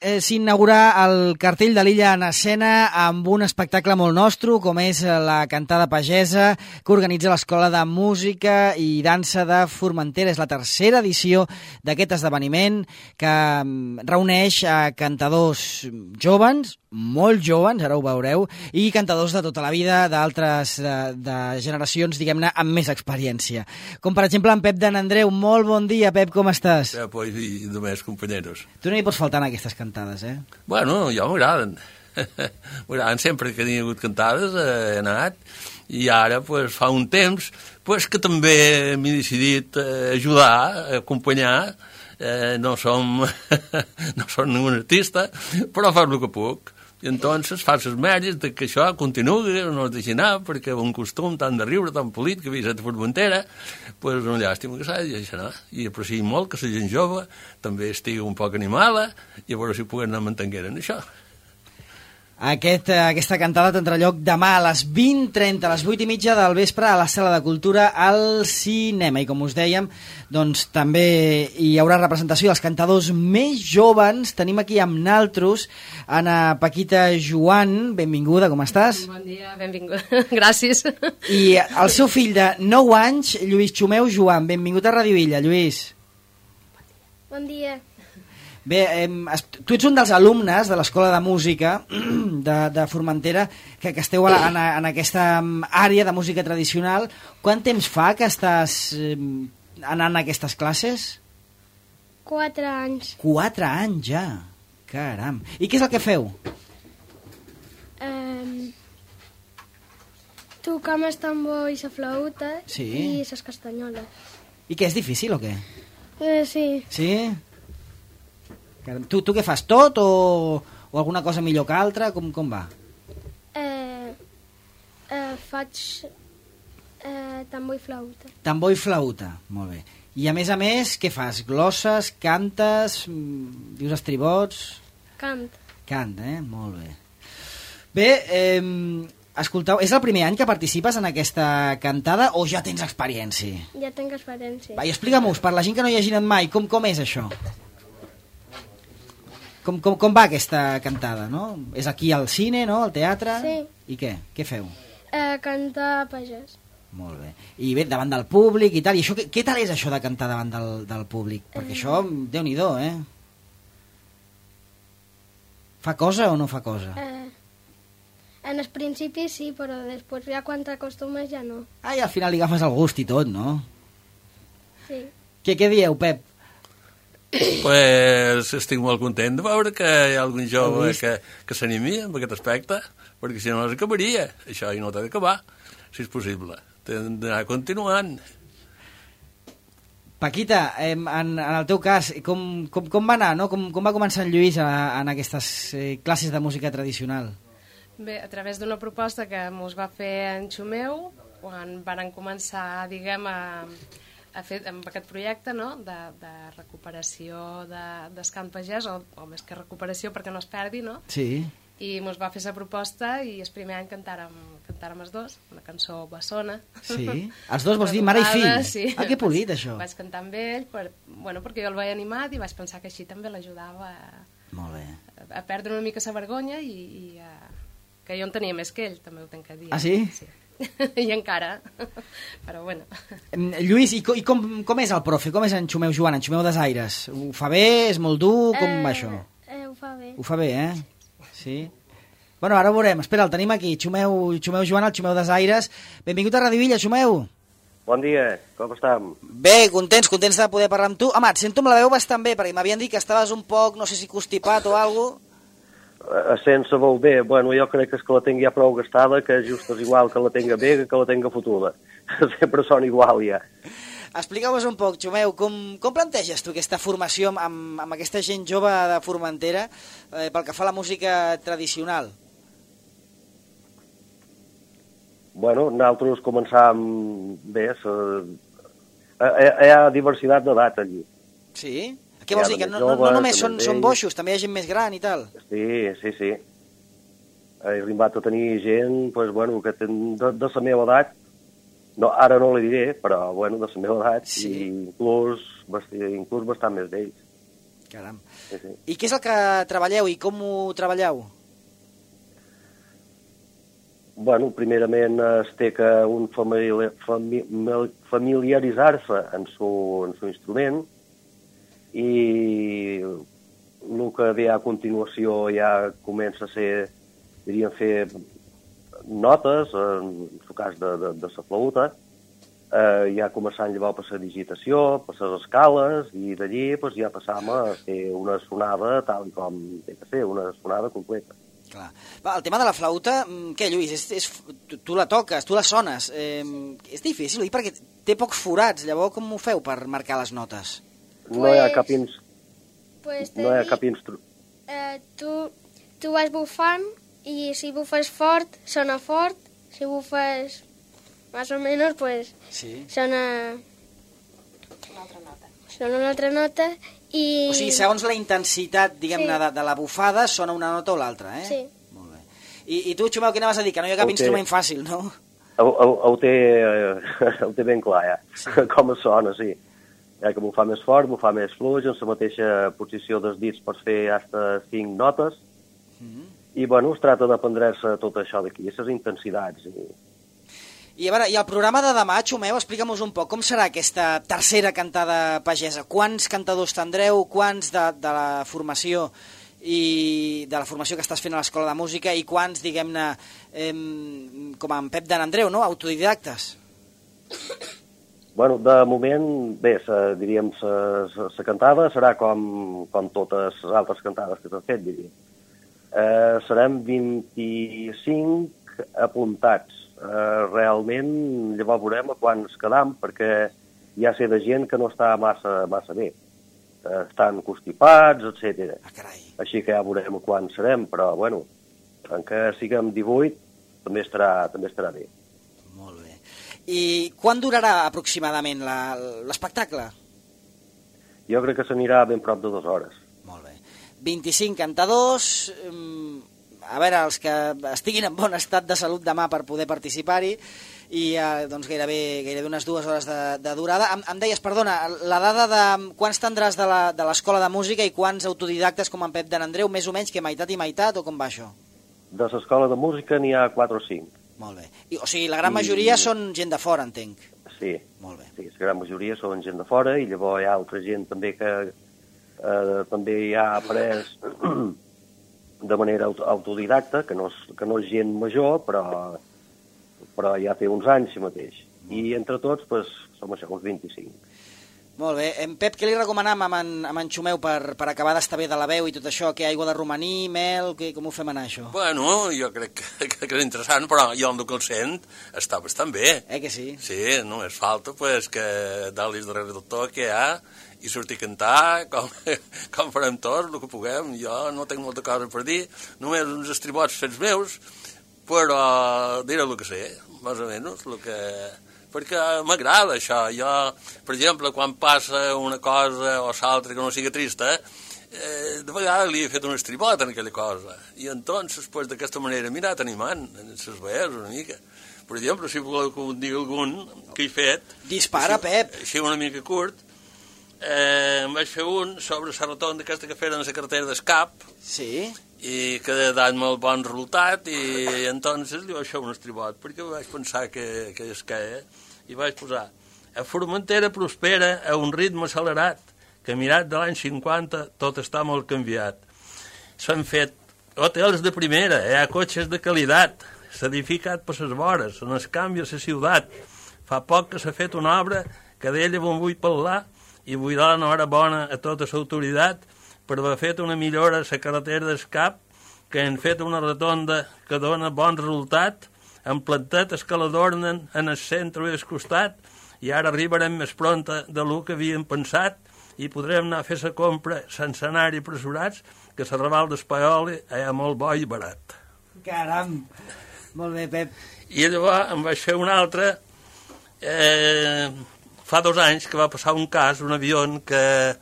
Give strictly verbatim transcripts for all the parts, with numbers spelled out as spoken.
eh, s'inaugurà el cartell de l'Illa en Escena amb un espectacle molt nostre, com és la cantada pagesa, que organitza l'Escola de Música i Dansa de Formentera. És la tercera edició d'aquest esdeveniment que reuneix a cantadors joves, molt joves, ara ho veureu, i cantadors de tota la vida, d'altres de, de generacions, diguem-ne, amb més experiència. Com, per exemple, en Pep de Nandreu. Molt bon dia, Pep, com estàs? Ja, pues, i només, companyeros. Tu no hi pots faltar en aquestes cantades, eh? Bueno, jo m'agraden. M'agraden sempre que hi ha hagut cantades, eh, he anat, i ara, pues, fa un temps, pues, que també m'he decidit eh, ajudar, acompanyar. Eh, no som no som un artista, però fa el que puc. I entonces fas els mèrits de que això continuï, no es deixi anar, perquè un costum tan de riure, tan polit, que havia estat a Formentera, pues una llàstima que s'ha de deixar anar. I aprecio molt que la gent jove també estigui un poc animada i a veure si puguen anar mantenint en això. Aquest, aquesta cantada tindrà lloc demà a les vint trenta, a les vuit i mitja del vespre, a la Sala de Cultura al cinema. I com us dèiem, doncs també hi haurà representació dels cantadors més joves. Tenim aquí amb naltros Ana Paquita Joan. Benvinguda, com estàs? Bon dia, benvinguda. Gràcies. I el seu fill de nou anys, Lluís Xumeu Joan. Benvingut a Radio Illa, Lluís. Bon dia. Bé, eh, tu ets un dels alumnes de l'Escola de Música de, de Formentera que, que esteu en, en aquesta àrea de música tradicional. Quant temps fa que estàs eh, anant a aquestes classes? Quatre anys. Quatre anys ja, caram. I què és el que feu? Um, tocar amb el tambor i la flauta, sí, i les castanyoles. I què, és difícil o què? Eh, sí. Sí? Tu, tu què fas, tot o, o alguna cosa millor que altra? Com, com va? Eh, eh, faig eh, tambor i flauta. Tambor i flauta, molt bé. I a més a més, què fas? Glosses, cantes, dius estribots? Cant. Cant, eh? Molt bé. Bé, eh, escolteu, és el primer any que participes en aquesta cantada o ja tens experiència? Ja tinc experiència. Va, i explica-m'ho, per la gent que no hi hagi anat mai, com, com és això? Com, com, com va aquesta cantada, no? És aquí al cine, no? Al teatre? Sí. I què? Què feu? Eh, cantar pagès. Molt bé. I bé, davant del públic i tal. I això, què, què tal és això de cantar davant del, del públic? Perquè això, Déu-n'hi-do, eh? Fa cosa o no fa cosa? Eh, en el principi sí, però després ja quan t'acostumes ja no. Ah, i al final li agafes el gust i tot, no? Sí. Què, què dieu, Pep? Pues estic molt content de veure que hi ha algun jove que, que s'animi amb aquest aspecte, perquè si no s'acabaria. Això i no t'ha d'acabar, si és possible. T'hem d'anar continuant. Paquita, eh, en, en el teu cas, com, com, com va anar, no? Com, com va començar en Lluís a, en aquestes eh, classes de música tradicional? Bé, a través d'una proposta que mos va fer en Xumeu, quan varen començar, diguem, a... a fer amb aquest projecte, no?, de, de recuperació de, del cant pagès, o, o més que recuperació perquè no es perdi, no? Sí. I mos va fer la proposta i el primer any cantàrem, cantàrem els dos, una cançó bessona. Sí? Els dos vols dir mare i fill? Sí. Ah, que polit, això. Vaig cantar amb ell, per, bueno, perquè jo el veia animat i vaig pensar que així també l'ajudava a, Molt bé. a perdre una mica la vergonya i, i a, que jo en tenia més que ell, també ho tenc que dir. Ah, sí? Sí. I encara, però bueno. Lluís, i, com, i com, com és el profe? Com és en Xumeu Joan, en Xumeu Desaires? Ho fa bé? És molt dur? Com eh, va això? Eh, ho fa bé. Ho fa bé, eh? Sí? Bueno, ara ho veurem. Espera, el tenim aquí. Xumeu, Xumeu Joan, el Xumeu Desaires. Benvingut a Radio Illa, Xumeu. Bon dia, com estem? Bé, contents, contents de poder parlar amb tu. Home, et sento amb la veu bastant bé, perquè m'havien dit que estaves un poc, no sé si constipat o alguna cosa. Sense vol bé, bueno, jo crec que és que la tinc ja prou gastada, que just és igual que la tinga bé que la tinga fotuda. Sempre són igual, ja. Explica'm-nos un poc, Xumeu, com, com planteges tu aquesta formació amb, amb aquesta gent jove de Formentera eh, pel que fa a la música tradicional? Bueno, nosaltres començàvem bé, sa... hi ha diversitat d'edat allí. Sí? Què vols dir? Que no, no, no només són, són boixos, també hi ha gent més gran i tal? Sí, sí, sí. He arribat a tenir gent, pues, bueno, que ten, de, de la meva edat, no, ara no li diré, però bueno, de la meva edat, sí. i inclús, inclús bastant més d'ells. Caram. Sí, sí. I què és el que treballeu i com ho treballeu? Bueno, primerament es té que un famili fami familiaritzar-se en su, en su instrument i el que ve a continuació ja comença a ser, diríem, fer notes, en el cas de, de, de la flauta, eh, ja començant llavors per la digitació, per les escales, i d'allí pues, ja passam a fer una sonada tal com té que ser, una sonada completa. Clar. Va, el tema de la flauta, què, Lluís? És, és, tu, tu la toques, tu la sones. Eh, és difícil, oi? Perquè té pocs forats. Llavors, com ho feu per marcar les notes? No hi ha cap, ins... Pues no hi ha cap instru... Eh, tu, tu vas bufant i si bufes fort, sona fort. Si bufes más o menos, pues sí. sona... Una altra nota. Sona una altra nota i... O sigui, segons la intensitat, diguem-ne, Sí. de, de la bufada, sona una nota o l'altra, eh? Sí. Molt bé. I, I tu, Xumeu, què anaves a dir? Que no hi ha cap Ho té. instrument fàcil, no? Ho, ho, ho, té, ho té ben clar, ja, sí. Com es sona, sí. Ja que m'ho fa més fort, m'ho fa més fluix, en la mateixa posició dels dits pots fer fins cinc notes, Mm-hmm. i bueno, es tracta d'aprendre-se tot això d'aquí, aquestes intensitats. I... I a veure, i el programa de demà, Xumeu, explica'm-nos un poc, com serà aquesta tercera cantada pagesa? Quants cantadors tindreu, quants de, de la formació i de la formació que estàs fent a l'Escola de Música i quants, diguem-ne, eh, com en Pep d'en Andreu, no?, autodidactes? Bueno, de moment, bé, sa, diríem, la cantada serà com, com totes les altres cantades que s'han fet, diríem. Eh, serem vint-i-cinc apuntats. Eh, realment, llavors veurem a quants quedam, perquè hi ha ser de gent que no està massa, massa bé. Eh, estan constipats, etcètera. Ah, carai. Així que ja veurem a quants serem, però, bueno, en què siguem divuit, també estarà, també estarà bé. Molt bé. I quan durarà aproximadament la- l'espectacle? Jo crec que s'anirà ben prop de dues hores. Molt bé. vint-i-cinc cantadors, eh, a veure, els que estiguin en bon estat de salut demà per poder participar-hi, i eh, doncs gairebé, gairebé unes dues hores de, de durada. Em, em deies, perdona, la dada de quants tindràs de la- de l'Escola de Música i quants autodidactes com en Pep d'en Andreu, més o menys que meitat i meitat, o com va això? De l'escola de música n'hi ha quatre o cinc. Molt bé. I, o sigui, la gran majoria I- són gent de fora, entenc. Sí, Molt bé. sí, la gran majoria són gent de fora i llavors hi ha altra gent també que eh, també hi ha après de manera aut autodidacta, que no, és, que no és gent major, però, però ja té uns anys si mateix. I entre tots, pues, som això, uns vint-i-cinc. Molt bé. En Pep, què li recomanam amb en, amb en Xumeu per, per acabar d'estar bé de la veu i tot això? Què, aigua de romaní, mel, què, com ho fem anar, això? Bueno, jo crec que, que, que és interessant, però jo el que el sent està bastant bé. Eh que sí? Sí, només falta pues, que dalis darrere del tot que hi ha i sortir a cantar com, com farem tots, el que puguem. Jo no tinc molta cosa per dir, només uns estribots fets meus, però diré el que sé, més o menys, el que... perquè m'agrada això. Jo, per exemple, quan passa una cosa o l'altra que no sigui trista, eh, de vegades li he fet un estribot en aquella cosa. I entonces, pues, d'aquesta manera, he mirat animant en les veus una mica. Per exemple, si voleu que em digui algun que he fet... Dispara, així, Pep. Així una mica curt, eh, em vaig fer un sobre la rotonda aquesta que feren a la carretera d'Escap, Sí? i que ha dat molt bon resultat, i entonces li vaig fer un estribot, perquè vaig pensar que, que és que, eh? I vaig posar: a Formentera prospera a un ritme accelerat, que mirat de l'any cinquanta tot està molt canviat. S'han fet hotels de primera, hi ha cotxes de qualitat, s'ha edificat per les vores, on es canvia la ciutat. Fa poc que s'ha fet una obra que d'ella me'n vull parlar i vull dar l'enhorabona a tota l'autoritat per haver fet una millora a la carretera d'Escap, que han fet una rotonda que dona bon resultat, han plantat el que l'adornen en el centre i al costat, i ara arribarem més pronta de lo que havíem pensat i podrem anar a fer la compra sense anar-hi pressurats, que la Raval d'Espaioli hi ha molt bo i barat. Caram! Molt bé, Pep. I llavors em vaig fer un altre, eh, fa dos anys que va passar un cas, un avió que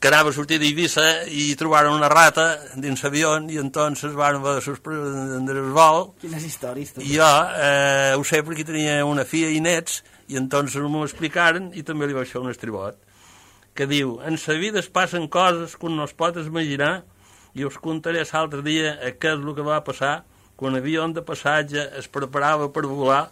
que anava a sortir d'Eivissa i trobaren una rata dins l'avió i entonces van haver de suspendre el vol. Quines històries, tu. I jo eh, ho sé perquè tenia una filla i nets i entonces m'ho explicaren i també li vaig fer un estribot. que diu: en sa vida es passen coses que un no es pot imaginar i us contaré l'altre dia què és el que va passar quan l'avió de passatge es preparava per volar.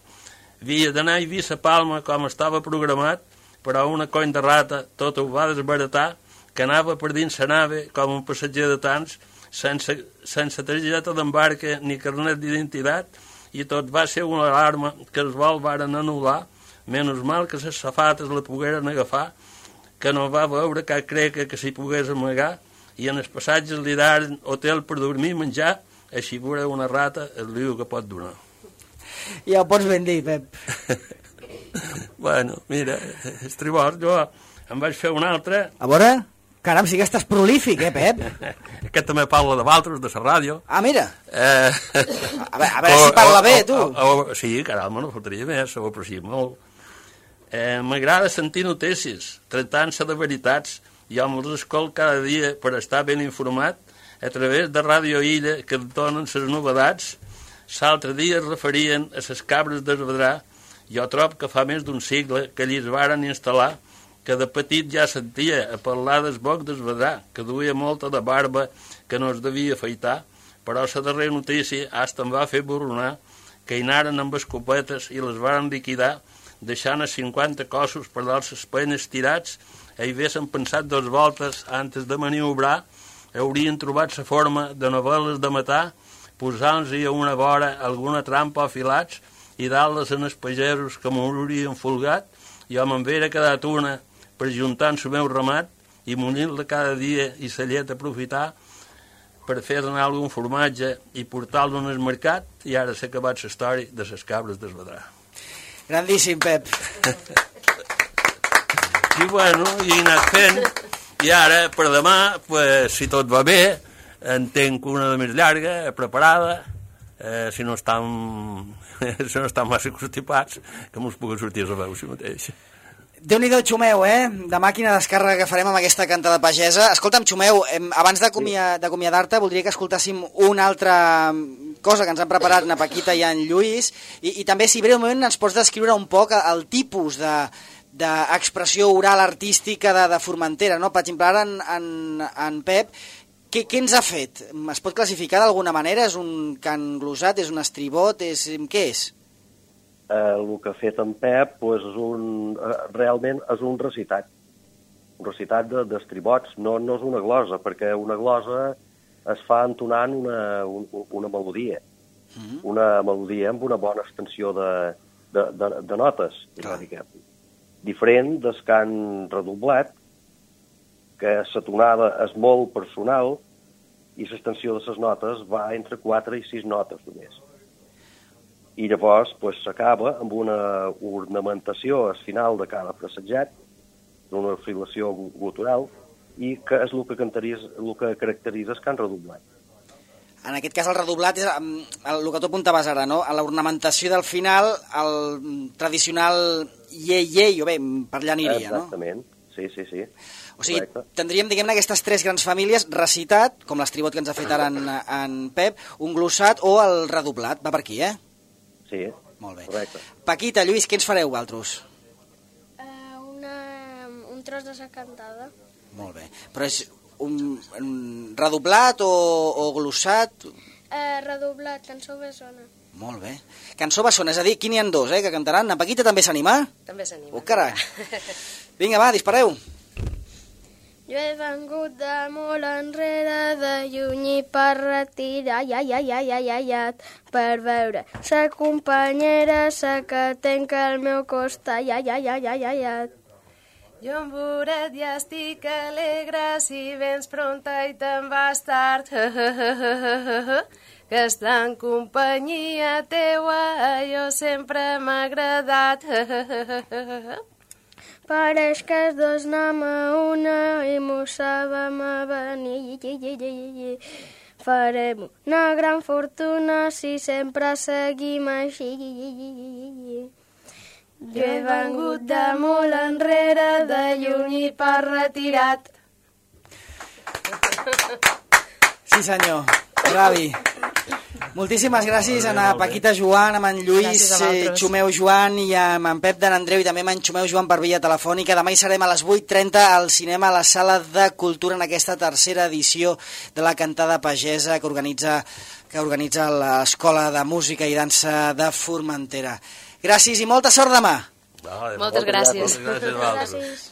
Havia d'anar a Eivissa Palma com estava programat, però una coll de rata tot ho va desbaratar, que anava per dins la nave com un passatger de tants, sense, sense targeta d'embarque ni carnet d'identitat, i tot va ser una alarma que els vols varen anul·lar, menys mal que les safates la pogueren agafar, que no va veure cap creca que s'hi pogués amagar, i en els passatges li daren hotel per dormir i menjar, així veure una rata el liu que pot donar. Ja ho pots ben dir, Pep. Bueno, mira, estribord, jo em vaig fer un altre. A veure, caram, sí que estàs prolífic, eh, Pep? Aquest també parla de Valtros, de la ràdio. Ah, mira. Eh... A veure, a veure si parla bé, tu. O, o, o, sí, caram, no faltaria més, ho aprecio molt. Eh, M'agrada sentir notícies, tractant-se de veritats. Jo me'ls escolto cada dia per estar ben informat a través de Ràdio Illa, que et donen les novedats. L'altre dia es referien a les cabres d'Esvedrà. Jo trobo que fa més d'un segle que allí es varen instal·lar, que de petit ja sentia a parlar del boc d'Esvedrà, que duia molta de barba que no es devia afaitar, però la darrera notícia hasta em va fer borronar que hi anaren amb escopetes i les varen liquidar, deixant a cinquanta cossos per dalt les penes tirats. Hi haguessin pensat dos voltes antes de maniobrar, haurien trobat la forma de novel·les de matar, posant-los a una vora alguna trampa afilats i dalt-les en els pagesos que m'haurien folgat. Jo me'n vera quedat una per juntar el meu ramat i munyir-la cada dia i la llet aprofitar per fer anar algun formatge i portar-lo en el mercat, i ara s'ha acabat la història de les cabres d'Esvedrà. Grandíssim, Pep. I bueno, i he anat fent, i ara per demà, pues, si tot va bé, en tenc una de més llarga, preparada, eh, si no estan si no estan massa constipats, que mos pugui sortir a la veu si mateix. Déu-n'hi-do, Xumeu, eh? Demà quina descàrrega que farem amb aquesta cantada pagesa. Escolta'm, Xumeu, abans d'acomiadar-te voldria que escoltàssim una altra cosa que ens han preparat na Paquita i en Lluís, i, i també, si breument ens pots descriure un poc el tipus de d'expressió oral artística de, de Formentera, no? Per exemple, ara en, en, en Pep, què, què ens ha fet? Es pot classificar d'alguna manera? És un cant glosat, és un estribot, és... què és? Eh, el que ha fet en Pep pues, és un, eh, realment és un recitat, un recitat d'estribots, de, no, no és una glosa, perquè una glosa es fa entonant una, un, una melodia, mm-hmm. una melodia amb una bona extensió de, de, de, de notes, una mica. Diferent del cant redoblat, que la tonada és molt personal i l'extensió de les notes va entre quatre i sis notes només. I llavors pues, s'acaba amb una ornamentació al final de cada frasseget, d'una filació gutural, i que és el que, el que caracteritza el cant redoblat. En aquest cas el redoblat és el que tu apuntaves ara, no? A l'ornamentació del final, el tradicional iei-iei, o bé, per allà aniria, no? Exactament, sí, sí, sí. O sigui, correcte. Tindríem, diguem-ne, aquestes tres grans famílies, recitat, com l'estribot que ens ha fet ara en, en Pep, un glossat o el redoblat. Va per aquí, eh? Sí, molt bé. Correcte. Paquita, Lluís, què ens fareu, vosaltres? Uh, una, un tros de sa cantada. Molt bé. Però és un, un redoblat o, o glossat? Uh, redoblat, cançó bessona. Molt bé. Cançó bessona, és a dir, aquí n'hi ha dos, eh, que cantaran. En Paquita també s'anima? També s'anima. Oh, carai. Vinga, va, dispareu. Jo he vengut de molt enrere, de lluny i per retirar, ai, ai, ai, ai, ai, ai, ai, per veure sa companyera, sa que tenc al meu costat, ai, ai, ai, ai, ai, ai, ai. Jo amb voret ja estic alegre, si vens pronta i te'n vas tard, que està en companyia teua, jo sempre m'ha agradat. Pareix que els dos anem a una i mos sabem a venir. Farem una gran fortuna si sempre seguim així. Jo he vengut de molt enrere, de lluny i per retirat. Sí, senyor. Bravi. Moltíssimes gràcies a en Paquita Joan, amb en Lluís Xumeu Joan i amb en Pep d'en Andreu i també amb en Xumeu Joan per via telefònica. Demà hi serem a les vuit trenta al cinema a la Sala de Cultura en aquesta tercera edició de la Cantada Pagesa que organitza, que organitza l'Escola de Música i Dansa de Formentera. Gràcies i molta sort demà. Moltes gràcies. Moltes gràcies.